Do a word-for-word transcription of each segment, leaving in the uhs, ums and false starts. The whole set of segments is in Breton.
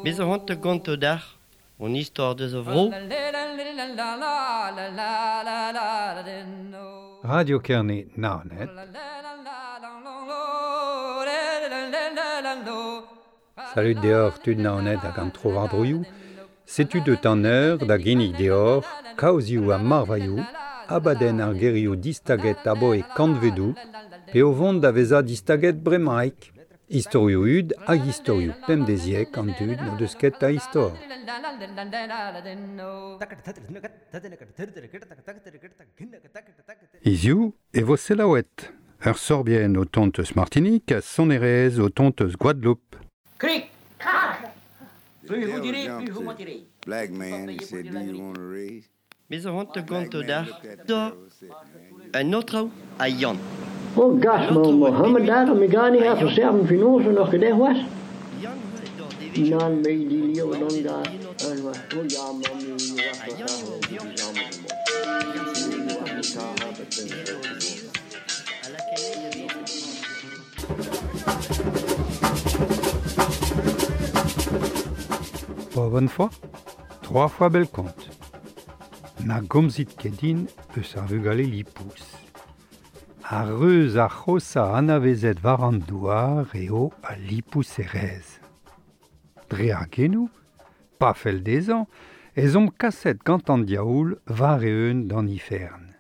Bez a c'hoant gonto d'ar, on istor deus a vro. Radio Kerne Naoned. Salut deoc'h tud Naoned hag an tro war droioù. Setu deut an eur da ginnig deoc'h, kaozioù ha marvailhoù, abadenn ar gerioù distaget aboe kantvedoù, pe o vont da vezañ distaget bremaik. Istorioù hud hag istorioù pemdeziek an dud n'o deus ket a istor. Hiziv e vo selaouet. Ur sorbienn o tont eus Martinique ha sonerezh o tont eus Guadeloupe. Cric, crac. Plus vous direz, plus vous mentirez. Black man, he said, do you want a raise? Bez a c'hoant gonto d'ar, da un autre a Yann. Oh, gas, Mohammed daar, mi gar nicht so sehr am Finanzen noch gedacht was? Nan, me die Leo dan da. Oh ja, Mami, Pas bonne fois, trois fois bel compte. Na gomzit ket din eus ar vugale lipous. Ar reuz ar c'hosa anavezet war an douar eo a lipous erez. Dre ar genou, pa fell dezhañ, ez omp kaset gant an diaoul war eeun d'an ifern.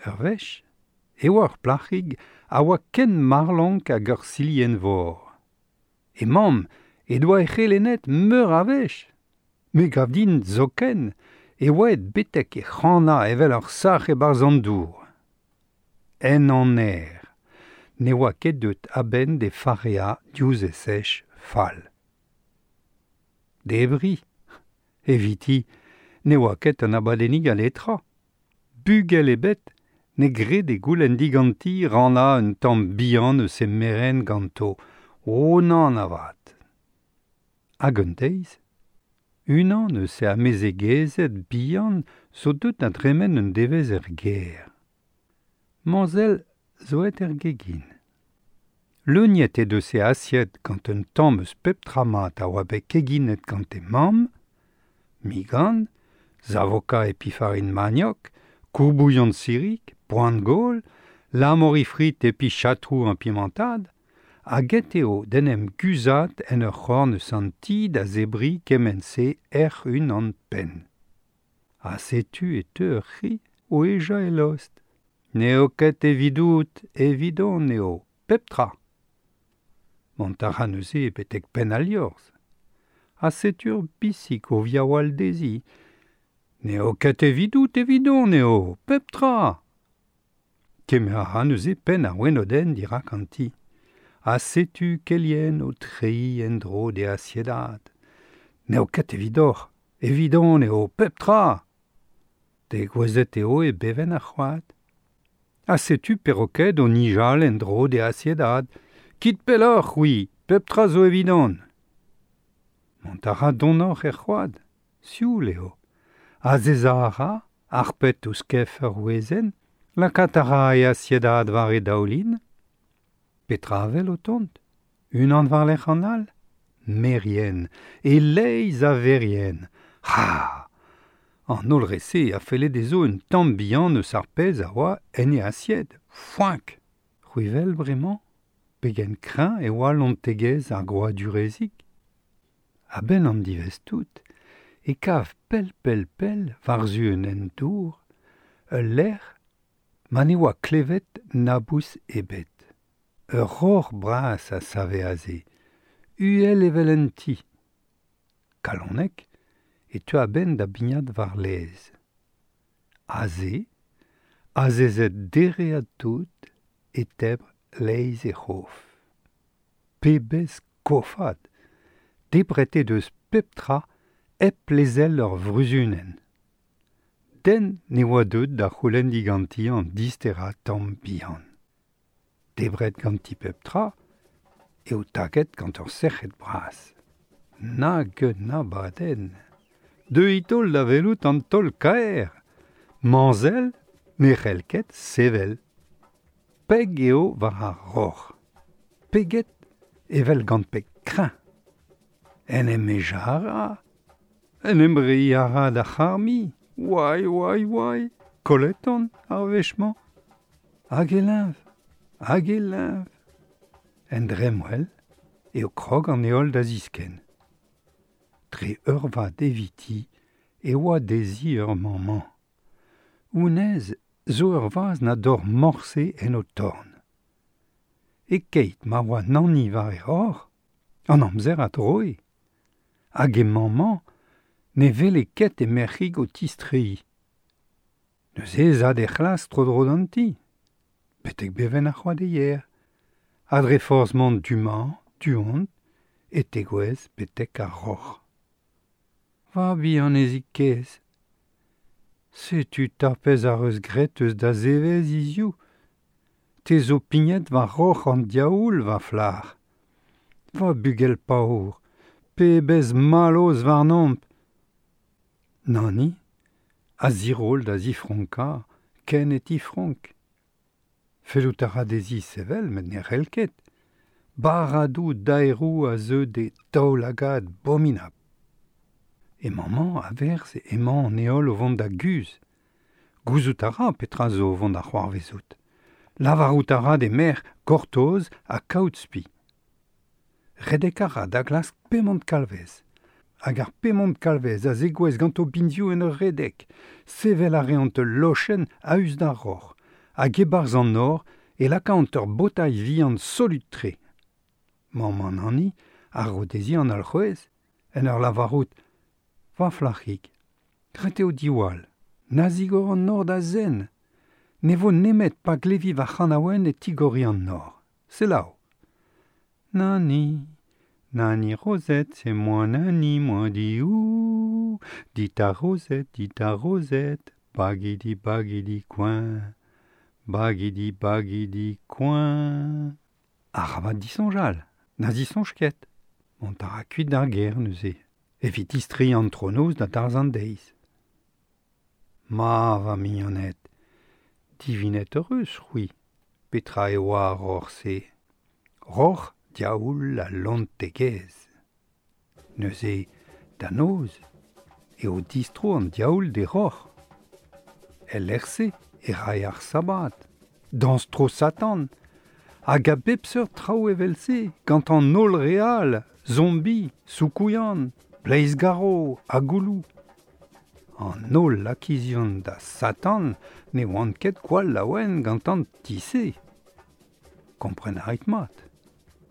Ur wech, e oa ur plac'hig a oa ken marlank hag ur silienn vor. E mamm e doa e c'helenet meur a wech. Me gav din zoken e oa et betek e c'hanañ evel ur sac'h e-barzh an dour. En an aer, ne oa ket deut a-benn de farea diouzh e sech fall. Debri, eviti, ne oa ket an abadennig a letra. Bugel ebet, ne gred e goulenn diganti ranna un tamm bihan eus e merenn ganto, o nann avat. Hag un deiz, unan eus e amezegezed bihan zo deut na dremen un devezh er gêr. Mañsell zo et er gegin. Leuniet e deus e asied gant un tamm eus pep tra mat a oa bet keginet gant e mamm, migan, zavoka e pifarin maniok, kourbouillon sirik, poan gaol, lamori frit epi chatrou an pimentad, hag et eo d'en em guzhat en ur c'horn eus an ti da zebri kement-se ec'h unan penn. Ha setu e teu ur c'hi o ejañ e lost. N'eo ket evidout, evidon eo, pep tra. Mont a ra neuze betek penn al liorzh. Ha setu ur bisig o viaoual dezhi. N'eo ket evidout, evidon eo, pep tra. Kemer a ra neuze penn ar wenodenn dirak an ti. Ha setu kelien o treiñ en-dro d'e asiedad. N'eo ket evidoc'h, evidon eo, pep tra. Degouezhet eo e bevenn ar c'hoad. Ha setu perroquet o nijal en-dro d'e asiedad. Kit pelloc'h, c'hwi, pep tra zo evidon. Mont a ra donoc'h er c'hoad, sioul eo. Azezañ a ra, arpet ouzh kef ur wezenn, lakaat a ra e asiedad war e daoulin. Petra a wel o tont? Unan war-lerc'h an all? Merien, e-leizh a verien. Ha! An holl re-se a felle dezho un tamm bihan eus ar pezh a oa en e asied. Foenk! C'hwi wel bremañ? Pegen kreñv e oa lontegezh ar grouadurezig. A-benn an diwezh tout, e kav pell-pell-pell war-zu un hent-dour, ul lec'h ma ne oa klevet nabous ebet. Ur roc'h bras a save aze, uhel evel un ti. Kalonek e teu a-benn da bignat war laez. Aze, azezet dereat tout, e tebr laez e c'hof. Pebezh kofad! Debret eo deus pep tra hep lezel ur vruzunenn. Den ne oa deut da c'houlenn diganti an disterañ tamm bihan. Debret ganti pep tra, eo taget gant ur sec'hed bras. Nag un abadenn! Deuit holl da welout an taol kaer. Mañsell ne c'hell ket sevel. Peg eo war ar roc'h. Peget evel gant peg kreñv. En em ejara, en em rei a ra da c'harmi. Oai, oai, oai, kollet on ar wech-mañ. Hag e leñv, hag e leñv. En dremmwel eo krog an heol da ziskenn. Dre eurvad eviti e oa dezhi ur mammant. Honnezh zo ur vazh na dor morse en o torn. E keit ma oa Nani war e roc'h, an amzer a droe. Hag e mammant ne wele ket e merc'hig o tistreiñ. Neuze ez a d'e c'hlas tro-dro d'an ti. Betek bevenn ar c'hoadeier. Ha dre forzh mont du-mañ, du-hont, e tegouezh betek ar roc'h. Va bihanezig kaezh. Setu tapez ar eus graet eus da zevezh hiziv. Te zo pignet war roc'h an diaoul, va flac'h. Va bugel paour, pebezh mallozh warnomp. Nani, a ziroll da zifronkañ, ken e tifronk. Fellout a ra dezhi sevel, met ne c'hell ket. Barradoù daeroù a zeu d'e daoulagad abominabl. E mammant a verz emañ an heol o vont da guzh. Gouzout a ra petra zo o vont da c'hoarvezout. Lavarout a ra d'e merc'h gortoz ha kaout spi. Redek a ra da glask pemont kalvez. Hag ar pemont kalvez a zegouezh ganto binvioù en ur redek. Sevel a reont ul lochenn a-us d'ar roc'h. Hag e-barzh an nor e lakaont ur botailh vihan solut-tre. Mamm an Nani a ro dezhi an alc'hwez en ur lavarout va flac'hig, ret eo diwall, na zigor an nor da zen. Ne vo nemet pa glevi va c'hanaouenn e tigori an nor. Selaou. Nani, Nani Rosette, c'est moi Nani, moi di ouh. Dit ta Rosette, dit ta Rosette, bagidi bagidi coin. Bagidi bagidi coin. Arabat disoñjal, na zisoñj ket. Mont a ra kuit d'ar gêr neuze. Evit distreiñ an tronoz da darzh an deiz. Ma va mignoned, divinet eus c'hwi, petra e oa ar roc'h-se. Roc'h diaoul al lontegezh. Neuze, da noz, eo distro an diaoul d'e roc'h. El lec'h-se e ray ar sabad, dañs tro Satan, hag a bep seurt traoù evel-se, gant an holl re all, zombi, soukouilhan, bleiz-garv ha gouloù. An holl lakizion da Satan ne oant ket gwall laouen gant an ti-se. Kompren a rit mat.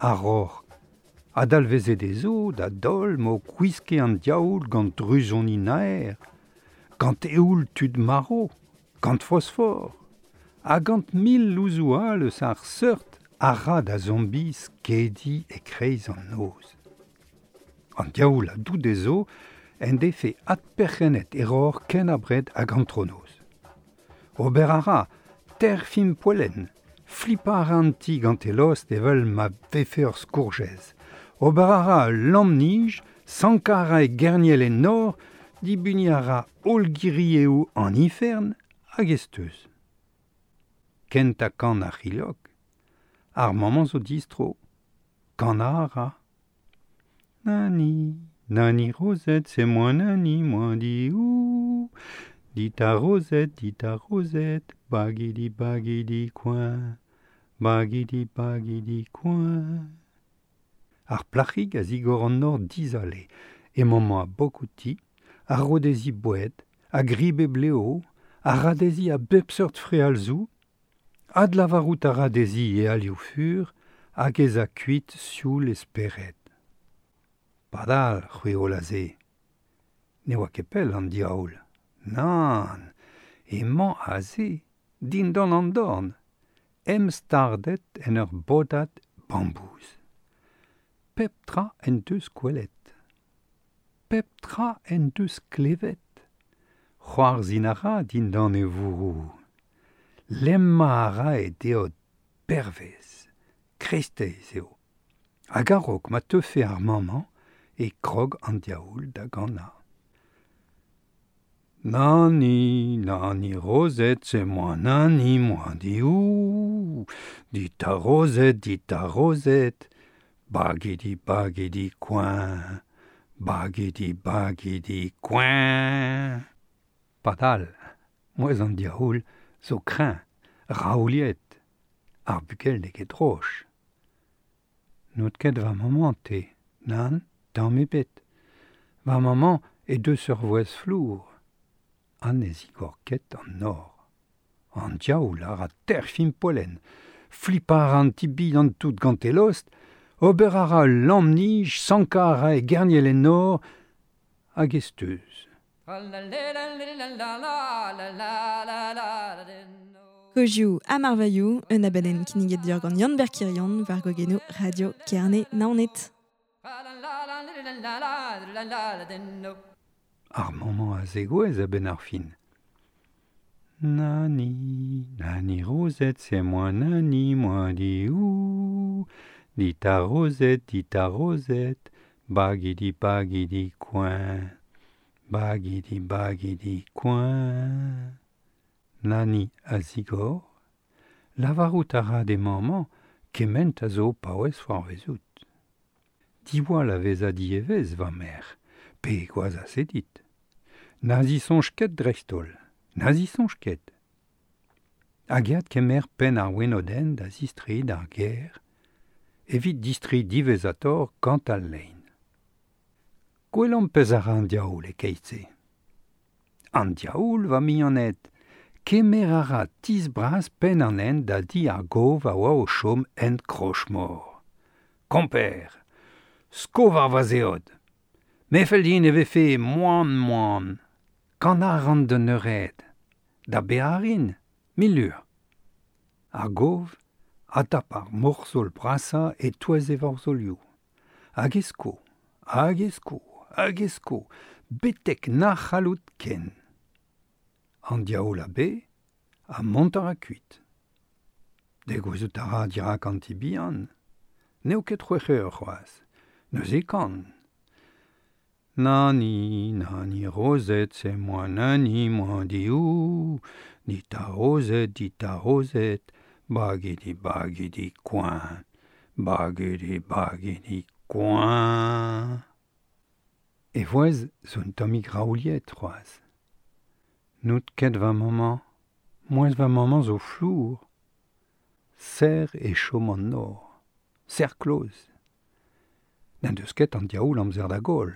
Ar roc'h a dalveze dezho da daol m'o gwiske an diaoul gant druzoni naer, gant eoul tud marv, gant fosfor, ha gant mil louzoù all eus ar seurt a ra da zombi skediñ e-kreiz an noz. An diaoul a dou dezho en defe adperc'hennet e roc'h ken abred hag an tronoz. Ober a ra terfin poellen, flipañ a ra an ti gant e lost evel ma vefe ur skourjez. Ober a ra ul lamm-nij, sankañ a ra e gerniel en nor, dibuniñ a ra holl girieoù an ifern hag e steuz. Kentañ kan ar c'hilhog, ar mammant zo distro, kanañ a ra. Nani, Nani Rosette, c'est moi Nani, moi di ouh. Dit ta Rosette, dit ta Rosette, bagidi bagidi coin, bagidi bagidi coin. Ar plac'hig a zigor an nor dizale, e mammant a bok outi, a ro dezhi boued, a grib e bleo, a ra dezhi a bep seurt frealzoù, adlavarout a ra dezhi e alioù fur, hag ez a kuit sioul e spered. Padal, c'hwi holl aze. Ne oa ket pell an diaoul. Nann, emañ aze, dindan an dorn, em stardet en ur bodad bambouz. Pep tra en deus gwelet. Pep tra en deus klevet. C'hoarzhin a ra dindan e vourroù. Lemmañ a ra e deod pervez. Kreisteiz eo. Hag a-raok ma teufe ar mammant e krog an diaoul da ganañ. Nani, Nani Rosette, c'est moi Nani, moi di ouh. ouh, dit ta Rosette, dit ta Rosette, bagidi bagidi coin, bagidi bagidi coin. Padal, mouez an diaoul zo kreñv, raouliet, ar bugel n'eo ket droch. N'out ket va maman te, nan, tamm ebet. Va maman e deus ur vouezh flour. An e zigor ket an nor. An diaoul a ra terfim polen, flipar an tibi an tout gant e lost, ober a ra ul lamm-nij, sankañ a ra e gerniel en nor, hag e steuz. Kozioù ha marvailhoù, un abadenn kinniget deoc'h gant Yann Berkirion war gogenoù Radio Kerne Naoned. Ar maman a zegouezh a-benn ar fin. Nani, nani Rosette, c'est moi nani, moi di ouh. Dit ta Rosette, dit ta Rosette, bagidi bagidi coin, bagidi bagidi coin. Nani a zigor, lavarout a ra d'e maman kement a zo paouez c'hoarvezout. Diwall a vez a dievez, va mère, pe gwaz a sedit. Na zisoñj ket dreist-holl, na zisoñj ket. Hag eat kemer penn ar wenodenn da zistreiñ d'ar gêr, evit distreiñ diwezhatoc'h gant al lein. Gwelomp pezh a ra an diaoul e-keit-se. An diaoul, va mignoned, kemer a ra tizh bras penn an hent da di ar gov a oa o chom hent Krochmor. Komper, sko war va zeod. Me fell din e vefe moan-moan. Kan a ran d'un eured. Da bearin, mil lur. Ar gov a tap ar morzhol brasañ e-touez e vorzholioù. Hag e sko, hag e sko, hag e sko, betek na c'hallout ken. An diaoul a be, ha mont a ra kuit. Degouezhout a ra dirak an ti bihan. N'eo ket c'hwec'h eur c'hoazh. Neuze kan. Nani, nani Rosette, c'est moi nani, moi di ouh. Dit ta Rosette, dit ta Rosette, bagidi bagidi coin, bagidi bagidi coin. E vouezh zo un tammig raouliet c'hoazh. N'out ket va maman, mouezh va maman zo flour. Serr e chom an nor, serr kloz. N'en deus ket an diaoul amzer da goll.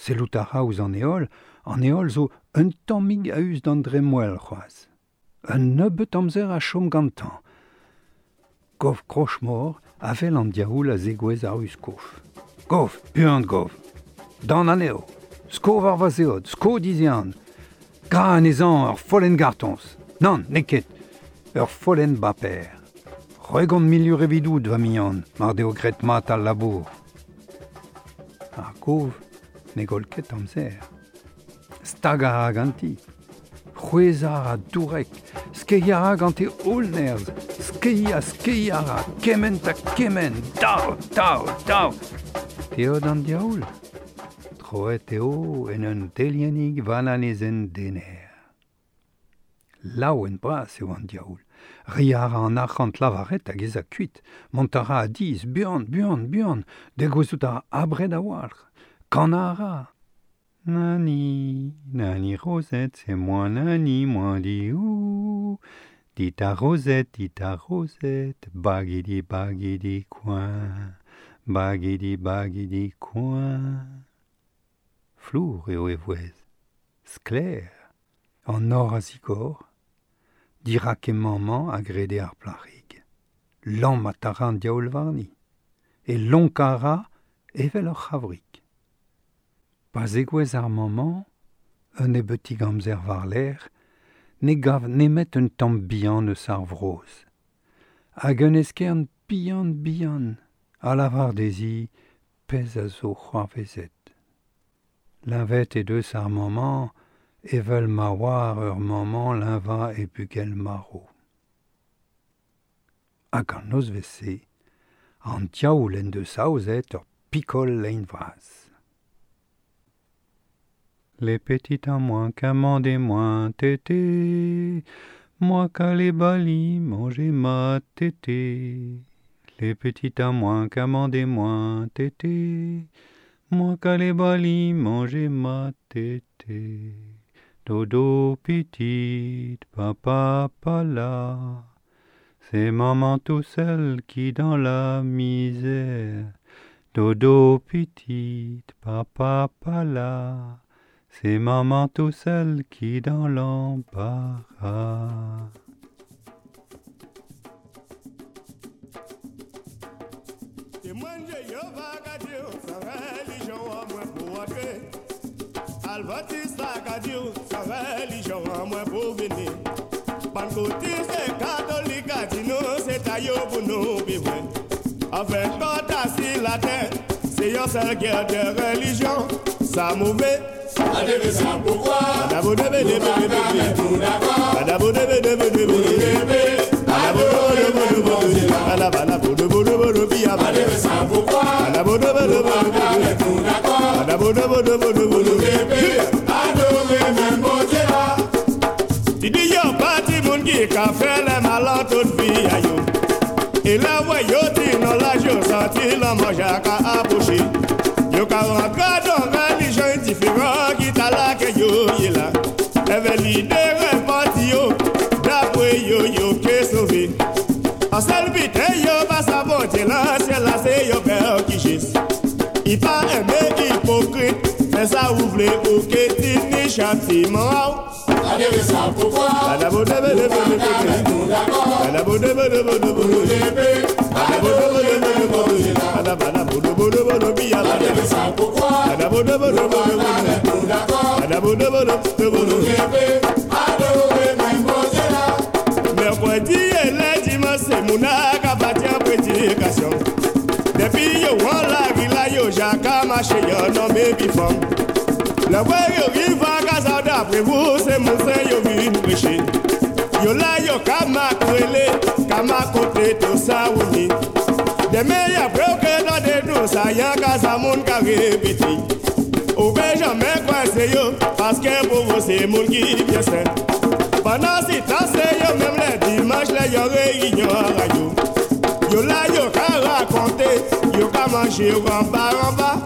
Sellout a ra ouzh an heol, an heol zo un tammig a-us d'an dremmwel c'hoazh. Un nebeut amzer a chom gantañ. Gov Krochmor a wel an diaoul a zegouezh ar uskof. Gov, buan gov. Dan anezho. Sko war va zeod, sko dizehan. Gra anezhañ ur follenn gartoñs. Nann, n'eo ket. Ur follenn baper. C'hwegont mil lur evidout, va mignon, mar deo graet mat al labour. Ar gov ne goll ket amzer. Stag a ra ganti. C'hwezhañ a ra dourek. Skeiñ a ra gant e holl nerzh. Skeiñ ha skeiñ a ra. Kement ha kement. Dav, dav, dav. Teod an diaoul. Troet eo en un deliennig valanezenn dener. Laouen bras eo an diaoul. Reiñ a ra an arc'hant lavaret hag ez a kuit. Mont a ra a dizh, buan, buan, buan. Degouezhout a ra abred a-walc'h. Kanañ a ra. Nani, nani Rosette, c'est moi nani, moi di ouh. Dit ta Rosette, dit ta Rosette, bagidi bagidi coin, bagidi bagidi coin. Flour eo e vouezh, sklaer, an nor a zigor, dirak e maman a grede ar plac'hig. Lammat a ra an diaoul warni, e lonkañ a ra evel ur c'havrig. Pa zegouezh ar maman, un nebeutig amzer war-lerc'h, ne gav nemet un tamm bihan eus ar vrozh. Hag un eskern bihan-bihan a lavar dezhi pezh a zo c'hoarvezet. Leñvet he deus ar maman evel ma oar ur maman leñvañ e bugel marv. Hag an nozvezh-se, an diaoul en deus aozet ur pikol lein vras. Les petits à moins qu'un des moins tété, Moi qu'allais bali manger ma tété. Les petites à moins qu'amender moins tété. Moi qu'allais bali manger ma tété. Dodo petite, papa pas là. C'est maman tout seul qui dans la misère. Dodo petite, papa pas là. C'est maman tout seul qui dans l'embarras. Enfin, quand assis la terre, c'est une seule guerre de religion, ça mauvais. Pourquoi? Et la voyoti non la jo senti la mange à approcher. Yo ka rentre dans religion différent qui t'a la que yo y là. Eve leader parti yo d'après yo yo que sauvé. En seul but yo pas sa bonté là c'est là c'est yo père qui gisse. Il pas aimer hypocrite, mais ça ouvre ou que ti ni châtiment. Mercredi et le dimanche, c'est mon a prédication. Depuis yo la villa yo jaka marché yo non mais bifom. Le vrai yo rive à casa d'après vous c'est mon saint yo vinn prêcher. Yo la yo kama krele, kama côté tout ça ouni. Demain y a bloqué dans des nous ça y a casa moun ka répéter. Ou ben jamais coincé yo parce que pour vous c'est moun qui bien saint. Pendant si temps c'est yo même les dimanches les yo réunion radio. Yo la yo ka raconter, yo ka manger en bas en bas,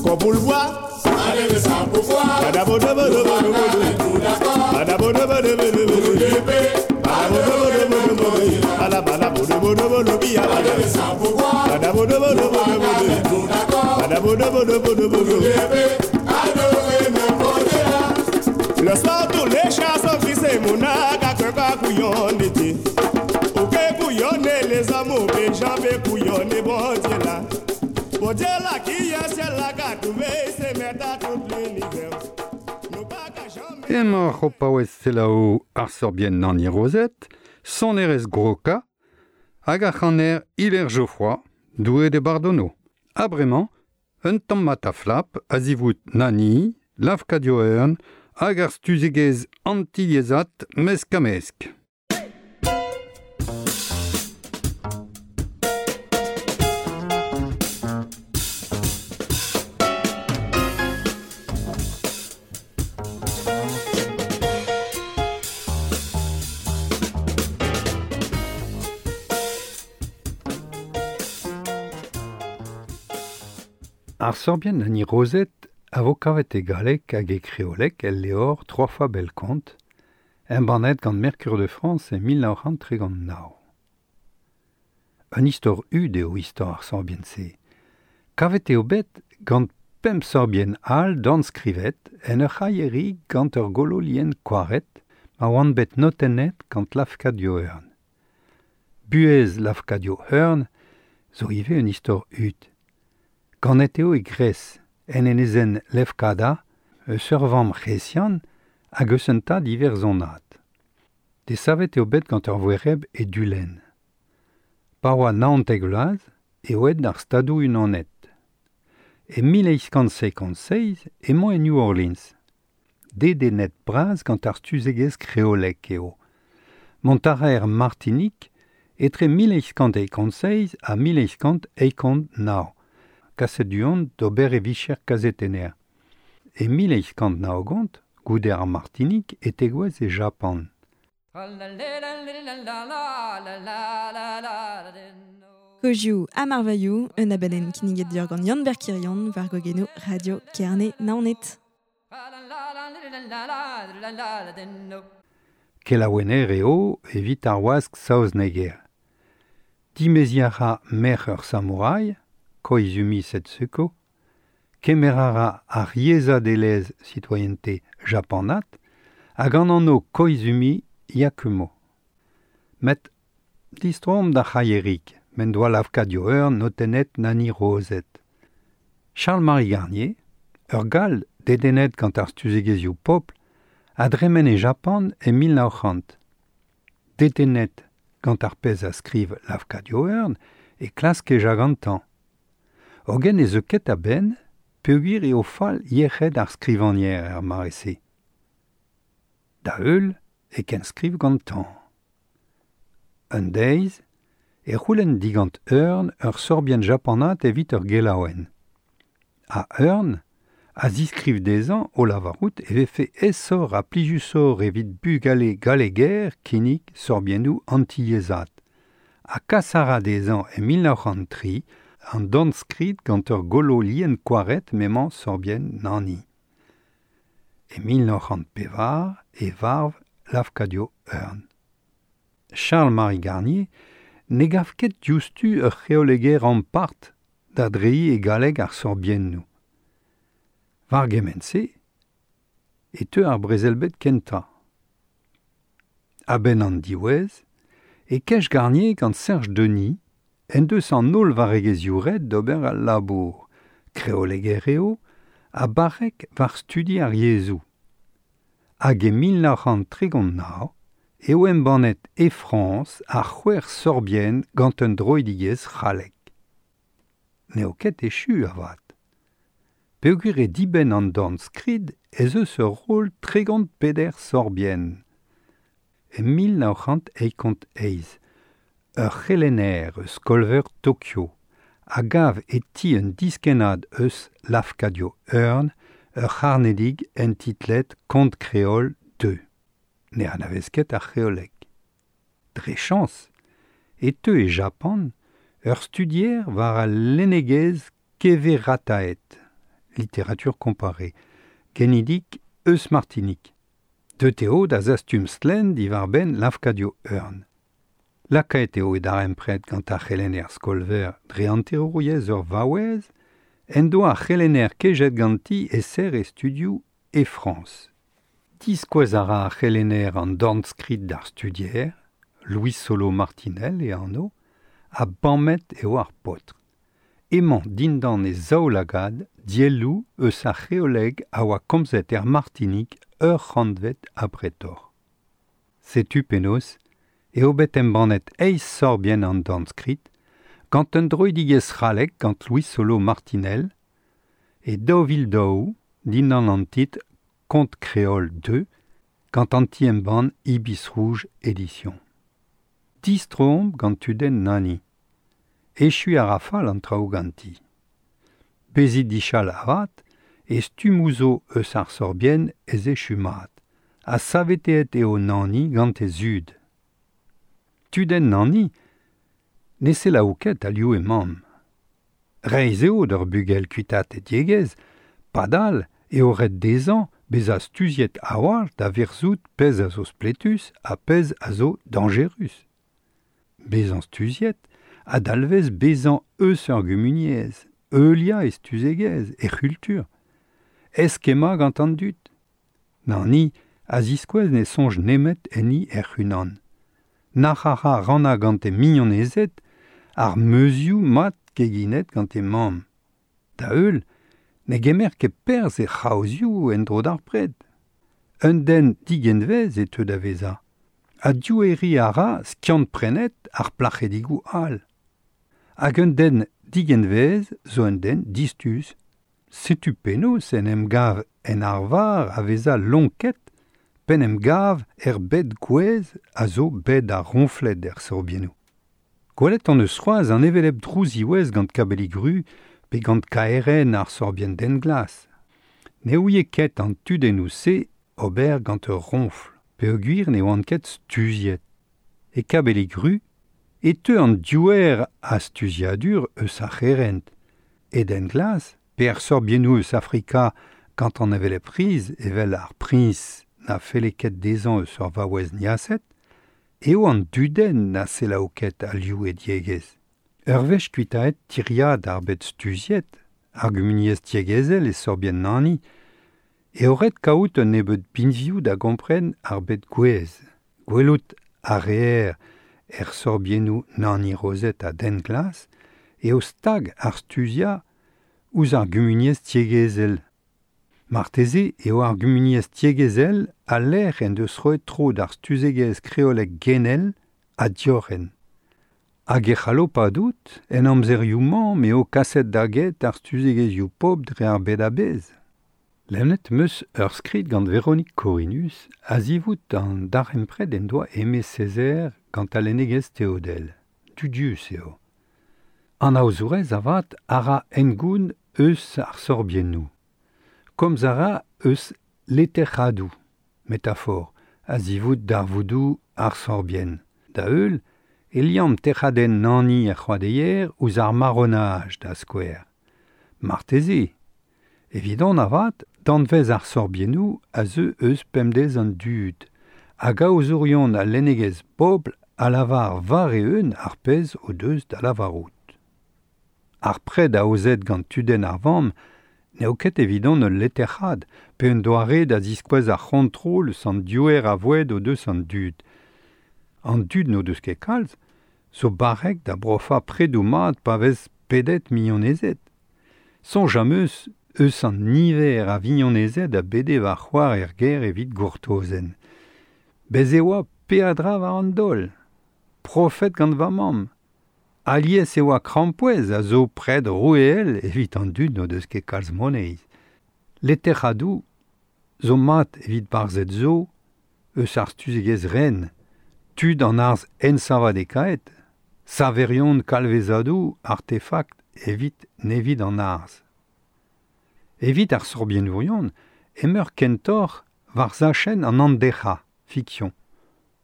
comme pour le bois. Le soir tous les chats sont fixés, mon aga que couillon été. Ou que couillonne les amours, et jamais couillonne bon Dieu là. Bon Dieu là qui est celle là qui a trouvé, c'est mettre à tout l'univers. Emañ c'ho paouez selaou ar sorbien Nani Rosette, sonerez Groka, hag ar c'haner Hilaire Geoffroy, doué de Bardonneau. Ha bremañ, un tamm mat a flap, a zivout Nani, Lafkadio Eun, hag ar stuzegez antiliezat mesk-a-mesk. Ar sorbien Nani Rosette a vo kavet e galleg hag e kreolek el leor trois fois Bellecomte, un bannet gant Mercure de France e mil nav c'hant tregont nav. Un istor ud eo istor ar sorbien se. Kavet eo bet gant pemp sorbien all dorn skrivet en ur c'hailheri gant ur golo lien koaret ma oant bet notennet gant Lafkadio Hearn. Buhez Lafkadio Hearn zo ivez un istor ud. Ganet eo e Gres, en enezen Lefkada, eus ur vamm c'hresian hag eus un tad iwerzhonat. Desavet eo bet gant ur voereb e Dulenn. Pa oa naontek vloaz eo aet d'ar Stadoù Unanet. E mil eizh kant seizh emañ e New Orleans. Dedennet bras gant ar stuzegezh kreolek eo. Mont a ra er Martinik etre mil eizh kant seizh ha mil eizh kant eizh nav. Kaset du-hont d'ober e vicher kazetenner. E mil eizh kant nav-ugent, goude ar Martinik, e tegouezh e Japan. Kozioù ha marvailhoù, un abadenn kinniget deoc'h gant Yann Berkirion war gogenoù Radio Kerne Naoned. Kelaouenner eo evit ar wask saozneger. Dimeziañ a ra merc'h ur samouraï, Koizumi Setsuko, kemer a ra ar yezhadelezh citoyenneté japanat hag an anv Koizumi Yakumo. Met distroomp d'ar c'haierig, m'en doa Lafcadio Hearn notennet Nani Rozet. Charles-Marie Garnier, ur Gall dedennet gant ar stuzegezhioù pobl, a dremen e Japan e mil nav c'hant. Dedennet gant ar pezh a skriv Lafcadio Hearn e klask e jagantañ. Hogen ez eus ket a-benn peogwir eo fall yec'hed ar skrivagner er mare-se. Da heul e kenskriv gantañ. Un deiz e c'houlenn digant Hearn ur sorbienn japanat evit ur gelaouenn. Ha Hearn a ziskriv dezhañ o lavarout e vefe aesoc'h ha plijusoc'h evit bugale galleger kinnig sorbiennoù antiyezhat. Ha kas a ra dezhañ e mil nav c'hant tri an dornskrid gant ur golo lien koaret m'emañ sorbienn Nani. E mil nav c'hant pevar e varv Lafcadio Hearn. Charles-Marie Garnier ne gav ket diouzhtu ur c'hreoleger ampart da dreiñ e galleg ar sorbiennoù. War gement-se e teu ar brezel-bed kentañ. A-benn an diwezh e kej Garnier gant Serge Denis en deus an holl varregezhioù ret d'ober al labour, kreoleger eo ha barrek war studi ar yezhoù. Hag e mil nav c'hant tregont nav eo embannet e Frañs ar c'hwec'h sorbienn gant un droidigezh c'hallek. N'eo ket echu avat. Peogwir e dibenn an dornskrid ez eus ur roll tregont peder sorbienn. E mil nav c'hant eizh eizh, ur c'helenner eus skolveur Tokyo a gav e ti un diskennad eus Lafcadio Hearn ur c'harnedig entitlet Conte Créole deux. Ne anavez ket ar c'hreoleg. Dre chañs e teu e Japan ur studier war al lennegezh keverataet, littérature comparée, genidik eus Martinik. Deut eo da zastum stlenn diwar-benn Lafcadio Hearn. Lakaet eo e darempred gant ar c'helenner skolver dre hanterouriezh ur vaouez en doa ar c'helenner kejet ganti e serr e studioù e Frañs. Diskouez a ra ar c'helenner an dornskrid d'ar studier, Louis Solo Martinel e anv, ha bammet eo ar paotr. Emañ dindan e zaoulagad dielloù eus ar c'hreoleg a oa komzet er Martinik ur c'hantved abretoc'h. Setu penaos eo bet embannet eizh sorbienn an dornskrid gant un droidigezh c'hallek gant Louis Solo Martinel e daou vil daou dindan an titl Conte Créole deux gant an ti-embann Ibis Rouge Édition. Distroomp gant tudenn Nani. Echu a ra fall an traoù ganti. Bezit dichal avat e stummoù zo eus ar sorbienn ez echu mat, ha saveteet eo Nani gant he zud. Tudenn Nani ne selaou ket alioù e mamm. Reizh eo d'ur bugel kuitaat e diegezh, padal eo ret dezhañ bezañ stuziet a-walc'h da verzout pezh a zo spletus ha pezh a zo dañjerus. Bezañ stuziet a dalvez bezañ eus ur gumuniezh, heuliañ e stuzegezh, e c'hultur. Eskemmañ gant an dud. Nani a ziskouez ne soñj nemet enni hec'h-unan. Nac'h a ra rannañ gant e mignonezed ar meuzioù mat keginet gant e mamm. Da heul, ne gemer ket perzh e c'haozioù en-dro d'ar pred. Un den digenvez e teu da vezañ. Ha dioueriñ a ra skiant-prenet ar plac'hedigoù all. Hag un den digenvez zo un den distuz. Setu penaos en em gav en arvar a vezañ lonket pen em gav er bed gouez a zo bed ar roñfled er sorbiennoù. Gwelet hon eus c'hoazh an hevelep drouziwezh gant Kabellig-Ru pe gant K R N ar sorbienn den glas. Ne ouie ket an tudennoù-se ober gant ur roñfl. Peogwir ne oant ket stuziet. E kabeligru, e teu an diouer a stuziadur eus ar c'herent. E den glas, pe ar sorbiennoù eus Afrika gant an evel e priz evel ar priñs na felle ket dezhañ eus ur vaouez niaset, eo an dudenn na selaou ket alioù e diegezh. Ur wech kuitaet tiriad ar bet stuziet, ar gumuniezh tiegezel e sorbien nani, eo ret kaout un nebeud binvioù da gompren ar bet gwez. Gwelout ar reer er sorbiennoù nani rozet a den glas, eo stag ar stuzia ouzh ar gumuniezh tiegezel. Marteze eo ar gumuniezh tiegezel a lec'h en deus roet tro d'ar stuzegezh kreolek genel ha diorren. Hag e c'hallo padout en amzerioù-mañ m'eo kaset da get ar stuzegezhioù pobl dre ar bed a-bezh. Lennet 'm eus ur skrid gant Véronique Corinus a zivout an darempred en doa Aimé Césaire gant al lennegezh teodel. Dudius eo. An aozourez avat a ra engoun eus ar sorbiennoù. Komz a ra eus leterc'hadoù, metafor, a zivout darvoudoù ar sorbienn. Da heul, e liamm tec'hadenn nani er c'hoadeier ouzh ar marronage da skouer. Marteze. Evidon avat, danvez ar sorbiennoù a zeu eus pemdez an dud, hag aozourion al lennegezh pobl a lavar war eeun ar pezh o deus da lavarout. Ar pred aozet gant tudenn ar vamm n'eo ket evidon ul leterc'had pe un doare da ziskouez ar c'hontrol eus an diouer a voued o deus an dud. An dud n'o deus ket kalz, zo barrek da brofañ predoù mat pa vez pedet mignonezed. Soñj am eus eus an niver a vignonezed a bede war c'hoar er gêr evit gourtozenn. Bez e oa peadra war an daol. Profet gant va mamm. Alies e oa krampouezh a zo pred roueel evit an dud n'o deus ket kalz moneiz. Leterc'hadoù zo mat evit barzhed zo eus ar stuzegezh ren, tud an arz ensavadekaet, saverion kalvezadoù artefakt evit nevid an arz. Evit ar sorbiennourion, emeur kentoc'h war zachenn an anderc'ha, fiktion.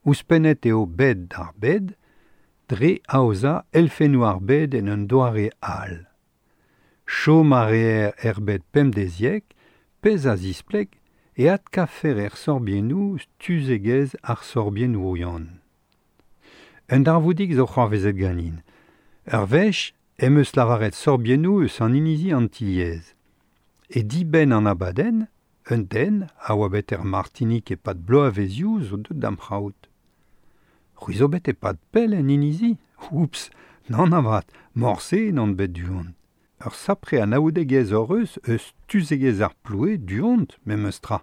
Ouzhpennet eo bed d'ar bed, dre aozañ elfennoù ar bed en un doare all. Chom a reer er bed pemdeziek, pezh a zispleg e adkafer er sorbiennoù stuzegezh ar sorbiennourion. Un darvoudig zo c'hoarvezet ganin. Ur wech em eus lavaret sorbiennoù eus an inizi Antilhez. E dibenn an abadenn, un den a oa bet er Martinik e-pad bloavezioù zo deut d'am c'haout. C'hwi zo bet e-pad pell en inizi? Oups, nann avat, morse n'on bet du-hont. Ur sapre anaoudegezh hor eus eus stuzegezh ar ploue du-hont, memes tra.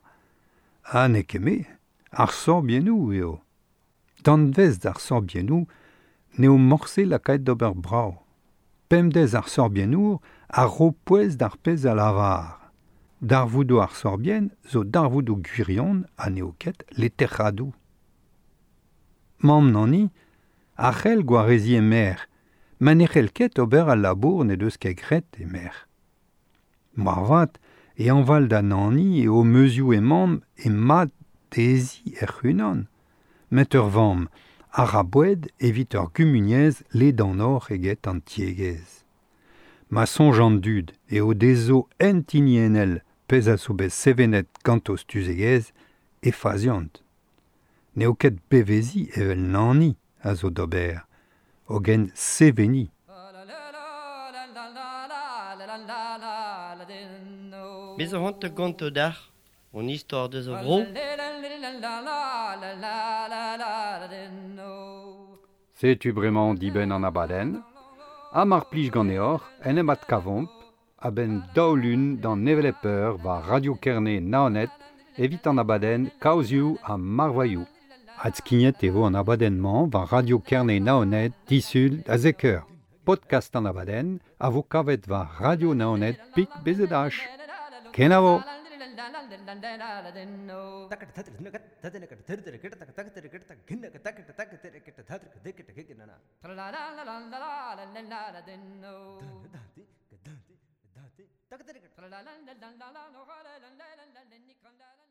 Ha n'eo ket me, ar sorbiennoù eo. Danvez d'ar sorbiennoù n'eo morse lakaet d'ober brav. Pemdez ar sorbiennour a ro pouez d'ar pezh a lavar. Darvoudoù ar sorbienn zo darvoudoù gwirion ha n'eo ket leterc'hadoù. Mamm nani, a c'hell gwareziñ e merc'h, ma ne c'hell ket ober al labour ne deus ket graet e merc'h. Moarvat e añval da nani eo meuzioù e mamm e mat dezhi hec'h-unan. Met ur vamm a ra boued evit ur gumuniezh ledanoc'h eget an tiegezh. Ma soñj an dud eo dezho ent-hiniennel pezh a zo bet sevenet ganto stuzegezh e faziont. N'eo ket beveziñ evel nani a zo d'ober, hogen seveniñ. Bez a c'hoant ganto d'ac'h, on istor deus a vro. Setu bremañ dibenn an abadenn, ha mar plij ganeoc'h en em adkavomp a-benn daou lun d'an hevelep eur war Radio Kerne Naoned evit an abadenn Kaozioù ha Marvailhoù. Adskignet e vo an abadenn-mañ war Radio Kerne Naoned disul da zek eur. Podcast an abadenn a vo kavet war Radio Naoned pik B Z H. Kenavo! La la la la la la la la la.